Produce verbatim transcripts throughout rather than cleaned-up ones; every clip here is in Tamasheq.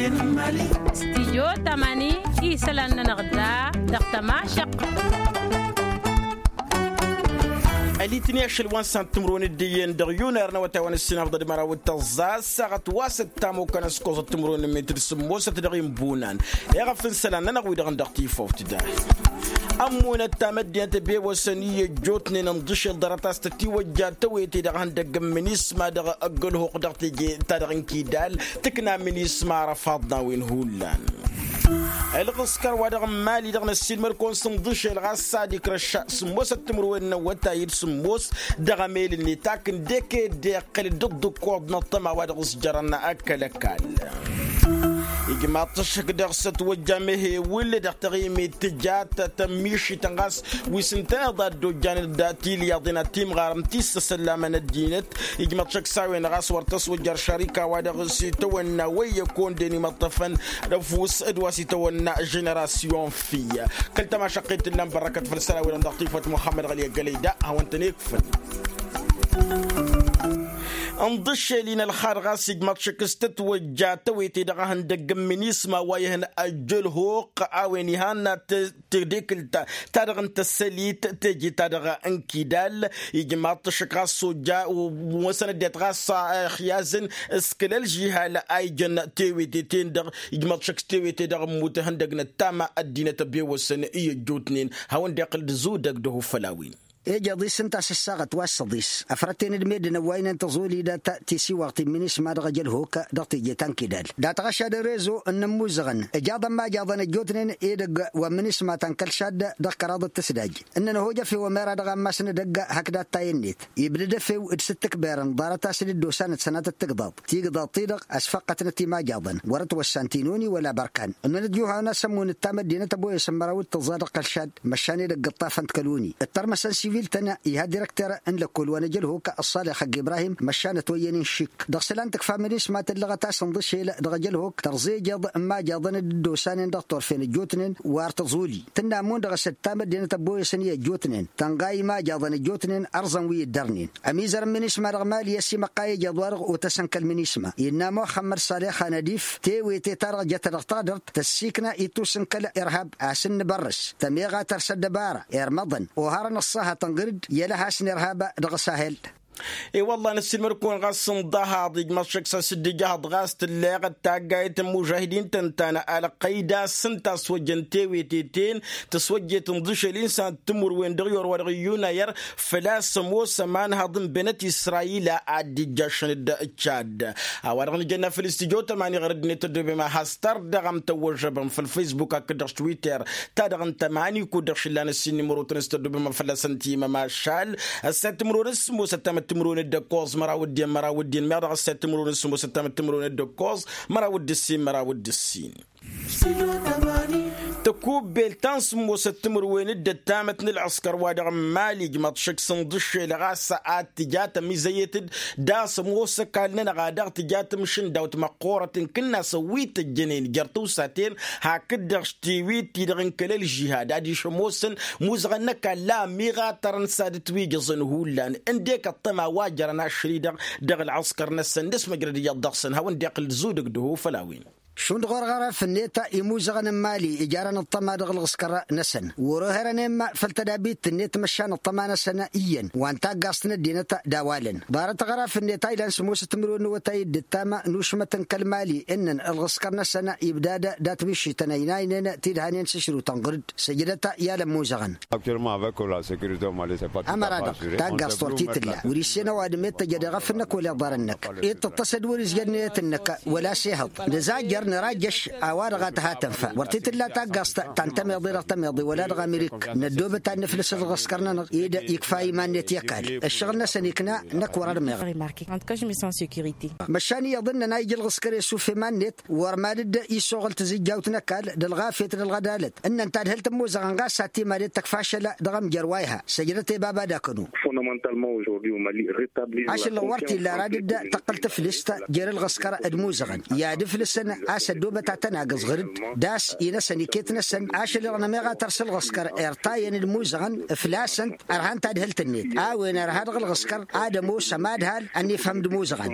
Stijyo tamani isălan-nănăɣ da dăɣ-tămašăq. Ălitni ašăl wa n-sant timǝrwen d-iyyăn dăɣ-yunăr n-awătay wa n-ǝssinafḍăd măraw d-tăẓẓa ăssaɣăt wa s-ăttam okănăskoẓăt timǝrwen n-metǝd sǝmmosăt dăɣ-inbunan. Iɣăf n-isălan-nănăɣ wi-dăɣ n-dăɣ tifawt da ămmunăt tamăddinăt ăbewăsăn i-ăjjootnen ǝnḍǝšel ḍarăt a-s tătiwăjja tăwete dăɣ-ihăndăgg n-minisma dăɣ-ăggălhuq dăɣ-teje-ta-dăɣ n-kidal. Tǝkna minisma arăfaḍ n-a-wen hullan. Ălɣǝskăr wa dăɣ-n mali-dăɣ n-ăssiilmăd-kăwăn s-ǝnḍǝšel ɣas s-ad-ikrăšša sǝmmosăt timǝrwen n-awătay d-sǝmmos dăɣ-emel-net akǝndek ed iqqǝl dd-ǝkkoḍ n-ăṭṭăma wa dăɣ-s jărăn kăl-ăkall. Ijmaḍ-t ăššăk dăɣ-s ătwăjja mehewǝl dăɣ-taɣimit tǝjat tămmišităn ɣas wi s-ǝntăneḍ a dd-ojjanăd tilyaḍen ad-timɣarăm ti s-ăsăllamăn ăddinăt. Ijmăḍ šăkk s-a-wen ɣas wăr tăswăjjar šarika-wa-dăɣ s-itawănna wăy ăkkonden imăṭṭăfăn d-ăfuss d-wa s-itawănna ženerasyon fi. Kăl-tămašăqqet tǝllan bărrăkăt făll-isălan-wi-dăɣ dăɣ-tifăt muxămmăd ɣăli ăggălăy da hawăn-tăn-ikfăn. Ǝnḍǝššel-in ălxad ɣas ijmăḍ šăkk s-tătwăjja tăwete dăɣ-ehăndăgg n-minisma wa ihăn ăjjălhoq a-wen ihăn tedekǝlt ta-dăɣ n-tăssălit teje-ta-dăɣ n-kidal. Ijmaḍ-t ăššăk ɣas s-ojja wăsăn ăddinăt ɣas ăxyazăn s-kăl-ălžihal a ijăn tewete-ten-dăɣ. Ijmaḍ-t ăššăk s-tewete dăɣ-ămmut ihăndăg n-ăttama ăddinăt ăbewăsăn i-ăjjootnen hawăn-dd-iqqǝl d-zudăg d-ehufăl a-wen. Ejeḍ-i s-ǝnta a-s ǝssaɣăt wa s-săḍis ăfrăt-en-dd meddǝn ăwwaynen tăẓoli dat-tisiwaɣt n-minisma dăɣ-ejălhok dăɣ-teje ta n-kidal dat-ăɣšad n-rezo n-inǝmmuzăɣăn. Ǝjaḍăn ma jaḍăn ăjjootnen edăgg wa n-minisma ta n-kăl-šadd dăɣ-kăraḍăt tǝsdaj ǝnnăn ăhoj efew ămera dăɣ-ammas n-edăgg hakd attay-net. Ibdăd efew d-sǝttǝkberăn ḍarăt a-s dd-osanăt sănatăt tigḍaḍ tigḍaḍ-ti-dăɣ ăsfăqqătnăt imajjaḍăn wăr-ătwăssan tinoni wăla bărkan. Ǝnnăn ăjjuhawen a-s ămmun d-tamăddinăt ăboyăsăn măraw d-tǝẓẓa dăɣ-kăl-šadd măšan edăgg ǝṭṭafăn-t kăl-oni. D-tarmăsăn sivil-tăn iha direkter n-lăkkol wa n-ejălhuk ăṣṣalix ăgg-ibrahim măšan ătwăyyăn n-išik dăɣ-isălan tǝkfa minisma tǝllăɣăt a-s ǝnḍǝšel dăɣ-ejălhuk tărẓa ejeḍ n-imajaḍăn dd-osanen dăɣ-turfen ăjjootnen. Wa ăr tăẓoli tǝnna ămmun dăɣ-s d-tamăddinăt ăbboyăsăn i-ăjjootnen tănɣa imajaḍăn ăjjootnen ărẓăn wi ǝddărnen. Ămizăr n-minisma dăɣ-mali ăsimăqqa i-ejăḍ-wa-dăɣ otăsăn kăl-minisma innă muxămmăd salix anădif tewete-ta-dăɣ jăt dăɣ-taɣdărt tăssiikna ittus n-kăl-irhab a-s ǝnnǝbărrǝs tămeɣa tărs ăddăbara irmăḍăn oharăn ăṣṣahăt ănɣǝr-dd i-ălhas n-irhab. Dăɣ-sahel. I-wălla năssiilmăd-kăwăn ɣas n-ḍahaḍ ijmăḍ šăkk s-ad-sǝddǝjăhăḍ ɣas tǝlleɣăt taggayt n-imužahidin tăn-tanăɣ alqăyda s-ǝnta a-s wăjjăn tewete-ten tăswăjjet ǝnḍǝšel-in s-ad-timǝrwen dăɣ-iwăr wa dăɣ-iyyunayăr. Făl-a-s ămoos ămanhăḍ n-benăt israyila ad-dd-ijjašăn d-čad. A-wa-dăɣ nǝjănna făll-istijot ămani ɣur-ăddinăt tăddobem a has-tărdăɣăm tăwwăžžăbăm făll-faysbuk hakd-dăɣ s-twitter ta dăɣ-ǝnta ămani kud-dăɣ šillan ǝssin nimărotăn s-tăddobem a fălla-săn timăm ašal. Ăssat timǝrwen s-sǝmmos ăttamăt timǝrwen d-ăkkoẓ măraw d-iyyăn măraw d-iyyăn meɣ dăɣ-ăssat timǝrwen s-sǝmmos ăttamăt timǝrwen d-ăkkoẓ măraw d-ǝssin măraw d-ǝssin. Tăkubbelt ta n-sǝmmosăt timǝrwen d-ăttamăt n-ălɣǝskăr wa dăɣ-n mali ǝjmăḍ šăkk s-ǝnḍǝššel ɣas ad-tǝja tămizăyet-dd. D-a-s ămoos ăkall-nănăɣ a dăɣ-tǝja tǝmšǝndawt măqqoorăt n-kǝnnasăn wi tăjjănen jer-tawsaten hakd-dăɣ s-tiwit-ti-dăɣ n-kăl-ălžihad adiš ămoosăn muzăɣăn n-ăkall la ămiɣatărăn s-ad-ǝtwǝjăẓăn hullan. Ǝndek ăṭṭăma wa jărăn ašri-dăɣ dăɣ-ălɣǝskăr-năsăn d-asmăjrăd iyyăḍ dăɣ-săn hawăn-dd-iqqǝl d-zudǝg d-ehufăl a-wen. Šund ɣur-ɣărăf-net imuzăɣăn n-mali ijarăn ăṭṭăma dăɣ-ălɣǝskăr-năsăn wăr-o herăn i-imma făll-tădabit-net măšan ăṭṭăma-năsăn iyyăn wa n-taggaẓt n-ăddinăt d-a-walăn. Ḍarăt ɣărăf-net a ilan sămoosăt timǝrwen n-awătay d-ǝttam n-ušmăt n-kăl-mali ǝnnăn ălɣǝskăr-năsăn ibda-dd dat-mišităn ăynaynen tidhanen s-ašrǝw tănɣăr-dd săjdăt i-alămmuzăɣăn. Amăra-dăɣ taggaẓt wăr t-tǝlla wăr-issen ăwadǝm i-tăjjăd eɣăf-năk wăla iḍarăn-năk. Iṭṭăṭṭăs-dd wăr-izjăd nǝyăt-năk wăla s-ehăḍ nǝzajjăr nǝrajjăš a-wa-dăɣ a tǝha tănfa wăr t-tǝlla taggaẓt ta n-tămeḍe dăɣ-tămeḍe wăla dăɣ-amirik. Năddoobăt ad-nǝflǝs ălɣǝskăr-nănăɣ-dd ikfa iman-net i-ăkall ăššăɣǝl-năsăn ikna. Năkk wăr-ădmeɣ. Măšan iyyăḍ ǝnnăn a ija ălɣǝskăr i-asuf iman-net wăr mad-dd-isuɣǝl tǝzǝjjawt n-ăkall d-ălɣafyăt d-ălɣădalăt ǝnnăn tadhǝlt ămmuzăɣăn ɣas ad-timadet tăkf ašăl dăɣ-amjăr wa iha săjdăt i-baba d-akănu. Ašăl-năɣ wăr t-illa ara dd-tăqqǝl tǝflǝst jer-ǝlɣǝskăr d-imuzăɣăn i-ad-ǝflǝsăn a-s ăddoobăt ad-tăn-agǝẓ ɣǝr-dd. D-a-s inăsăn iket-năsăn ašăl-năɣ n-ămeɣ a tărs ǝlɣǝskăr irtayăn d-imuzăɣăn. Flasăn-t ărhan tadhǝlt-net a-wen ărha dăɣ-ǝlɣǝskăr ad-ămoos ămadhal ănnifhăm d-imuzăɣăn.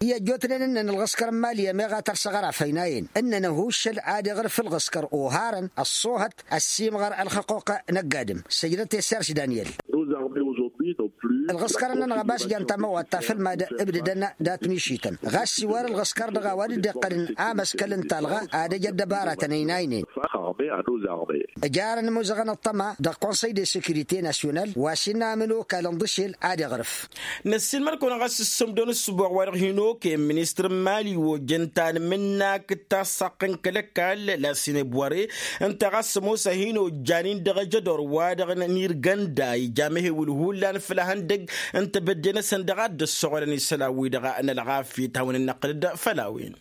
I-ăjjootnen ǝnnăn ǝlɣǝskăr n-imali ămeɣ a tărs aɣăraf ăynayăn ǝnnăn ăhuuššăl ad-iɣrǝf ǝlɣǝskăr oharăn ăṣṣoohăt ăssiimɣăr ălxăqquq n-ăgg-adǝm. Săjdăt i-serš daniel. Ǝlɣǝskăr-nănăɣ ăbas jan tamăwaḍt ta făll-mad-ǝbdǝdăn dat-mišităn ɣas iwar ǝlɣǝskăr dăɣ-a-wa dd-iqqălăn amăskăl n-talɣa ad-ăj ăddăbaratăn ăynaynen. Ǝjarăn imuzăɣăn ăṭṭăma dăɣ-konsăy de sekirite nasyonal wa s-innă amǝnokal n-iḍǝšel ad-iɣrǝf. Năssiinmăr-kăwăn ɣas ǝssǝmdăn ǝssǝboɣ wa-dăɣ hin-okăyăn ministăr n-mali ojăn tanmǝnnak d-tassaqq n-kăl-ăkall la sinebware ǝnta ɣas ămoos a hin-ojjan-in dăɣ-ajădor wa-dăɣ n-irgănda ija mehewǝl hullan făll-ehăndăgg n-tebădde-năsăn dăɣ-a dd-ăssoɣălăn isălan-wi-dăɣ n-ălɣafyăt hawăn-dd-năqqǝl-dd făll-a-wen.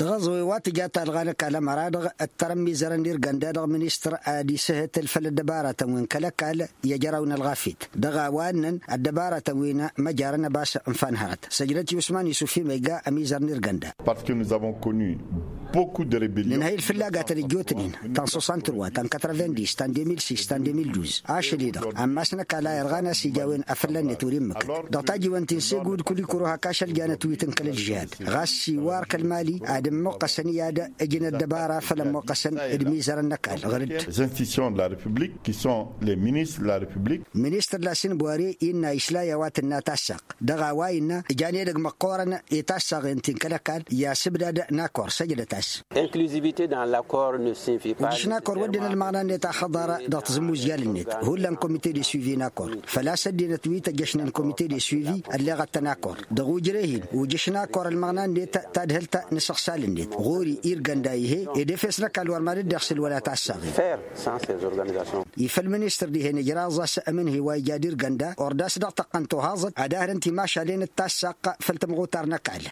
Dăɣ-aẓăwe wa tǝja talɣa n-ăkall ămăra-dăɣ ǝttărăn mizărăn d-irgănda dăɣ-ministăr ad-isǝhǝtǝl făll-ăddăbaratăn wi n-kăl-ăkall i-ajăraw n-ălɣafyăt dăɣ-a-wa ǝnnăn ăddăbaratăn wi n-măjarăn ăbas n-fanhărăt săjdăt i-usman isuf imăyga ămizăr n-irgănda. Parce que nous avons connu beaucoup de rébellion. Nǝnhăyăl fǝlla gatăn ăjjootnen ta n-sosantrwa ta n-katravendis ta n-demil sis ta n-demil duz ašăl-i-dăɣ ammas n-ăkall a irɣan a-s ija a-wen afălla-net wăr-immǝkǝt dăɣ-tajiwen ti n-segu d-kulikuro hak ašăl janăt wi tǝnkăl ălžihad. Ɣas iwar kăl-mali ad-ǝmmuqqăsăn i-ad-ǝjǝn ăddăbara făll-ămmuqqăsăn d-imizărăn n-ăkall ɣǝr-dd. Les institutions de la république qui sont les ministres de la république. Ministăr la sinbware innă isla i-a-wa tǝnna tassaq dăɣ-a-wa innă ǝjan edăgg măqqoorăn i-tassaɣen ti n-kăl-ăkall i-asǝbdad n-akor săjdăt-as. Inclusivité dans l'accord ne signifie pas. Ujǝš n-akor wădden ălmăɣna-net axăḍar dăɣ-tazǝmmuzjal-net hullan komite de suivi n-akor făl-a-s ăddinăt wi tăjjăšnen komite de suivi ălleɣăt-tăn akor. Dăɣ-ujreh-in ujǝš n-akor ălmăɣna-net tadhǝlt n-asăɣsal-net ɣur-i irgănda ihe ed efes n-ăkall wăr mad-dd-iɣsǝl wăla tassaɣen. Ifăl ministăr dihen ǝjraẓ a-s ămǝnhǝy wa ija d-irgănda ordas dăɣ-tăqqăn tohaẓăt ad-ahrǝn timašalen d-tassaq făll-tămɣutar n-ăkall.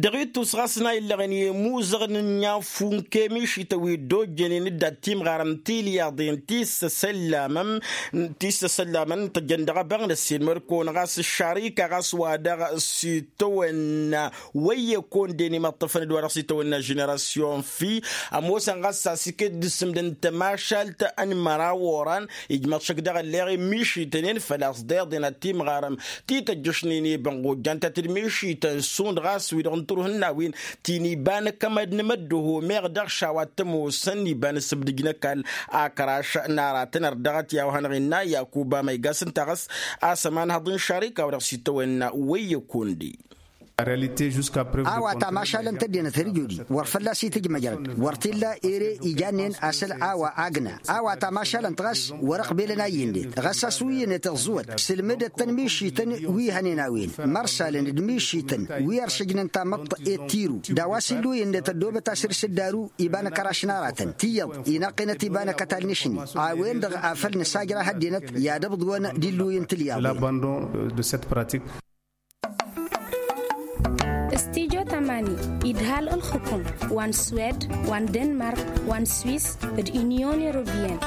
Dăɣ-ittus ɣas n-a illăɣăn i-imuzăɣăn n-inyafun kemišităn wi dd-ojjănen d-ad-timɣarăm tilyaḍen ti s-săsăllamăm ti s-săsăllamăm tăjjăn dăɣ-abăɣ n-ăssiinmăr-kăwăn ɣas ăššarika ɣas wa dăɣ-s itawănna wăyye konden imăṭṭăfăn d-wa dăɣ-s itawănna ženerasyon fi ămoosăn ɣas a-s iket d-sǝmdăn tămašalt ănmăraw oran. Ijmăḍ šăk dăɣ-ălleɣ i-mišităn-en făl-a-s deḍen ad-timɣarăm ti tăjjăšnen i-bănɣ ojjan ta t-dd-mišităn šund ɣas wi-dăɣ n-tǝruhǝnna-win ti n-iba n-akămăd n-imăddoho meɣ dăɣ-šawa t-ămoosăn iba n-asǝbdǝj n-ăkall. Akăraš n-aratăn ărdăɣăt i-a-wa hanăɣ-innă yakuba ma igasăn taɣăs a-s ămanhăḍ n-šarika wa dăɣ-s itawănna wăyye kondi. A-wa tamašalăn tăddinăt hărjudi wăr fălla-s itǝjmăjrăd wăr t-illa ere ijannen asăl a-wa agnă a-wa tamašalăn-t ɣas wăr-ăqbelăn a iyyǝn-net ɣas a-s wi iyyǝn-net ǝẓẓǝwăt sǝlmǝdăt-tăn mišităn wi hănen a-wen mărsalăn d-mišităn wi ărsǝjnăn tamăḍt i-tiru d-a-wa s-illu iyyǝn-net ăddoobăt asǝr s-ǝddaru iba n-akăraš n-aratăn tiyyăḍ inăqqenăt iba n-akătal n-ašni a-wen-dăɣ afăl nǝsajrah ăddinăt i-ad-ǝbḍǝwăn d-illu i-n-tǝlyaḍ. L'abandon de cette pratique. Studyo tamani idhal ǝlxǝkum wa n-swed wa n-denmark wa n-swiss d-inyon europeyăn.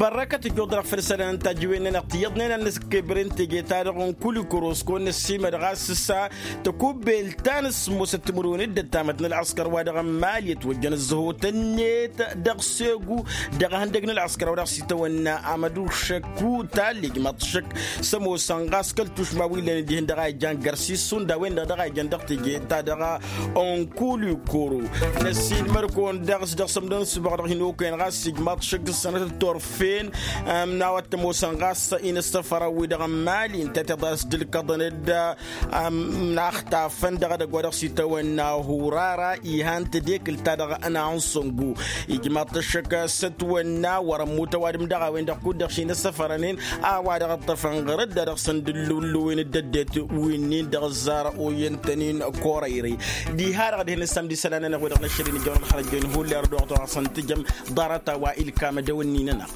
Bărrăkăt ǝjjuḍ-dăɣ făll-isălan n-tajǝwen-nănăɣ tiyyăḍnen ad-nǝskebren teje-ta-dăɣ n-kulikăros kăwăn-năssiimăd ɣas s-a tăkubbelt ta n-ǝssǝmmosăt timǝrwen d-ăttamăt n-ălɣăskăr wa dăɣ-n mali ătwăjjăn ǝzzăhotăn-net dăɣ-segu dăɣ-ehăndăg n-ălɣăskăr wa dăɣ-s itawănna amădu šăkku tallijmăḍ šăkk s-ămoosăn ɣas kăl-tušma wi lănen dihen dăɣ-a ijan găr-s issun d-a-wen-dăɣ dăɣ-a ijan dăɣ-teje ta dăɣ-a onkulikoro. Năssiinmăr-kăwăn dăɣ-s dăɣ-sămdăn s-băɣ dăɣ-hin-okăyăn ɣas ijmaḍ šăkk s-sănăt d-turfen n-a-wa t-ămoosăn ɣas inăssăfărăn-wi-dăɣ n-mali ǝnta tiḍa s-dd-ǝlkăḍăn-dd n-axtafăn dăɣ-edăgg wa dăɣ-s itawănna hurara ihan tedekǝlt-ta-dăɣ n-ansăngu. Ijmaḍ-t ăššăk s-ătwănna wăr-ămmut ăwadǝm dăɣ-a-wen-dăɣ kud-dăɣ šinăssăfărănen a-wa dăɣ-ǝṭṭăfăn ɣăr-dd a dăɣ-săn dd-ǝllǝwǝllǝwen d-ăddinăt wi-nin dăɣ-ăzzar oyyăn-tăn-in kor-ăyrăy. Diha-dăɣ dihen ǝssam d-isălan-nănăɣ wi-dăɣ n-ašăl-in ǝjjăwăn ălxărăjjăyăn hulli ar dd-oɣăt oɣăsăn tǝjăm ḍarăt a-wa ilkam ad-ăwǝnni-nănăɣ.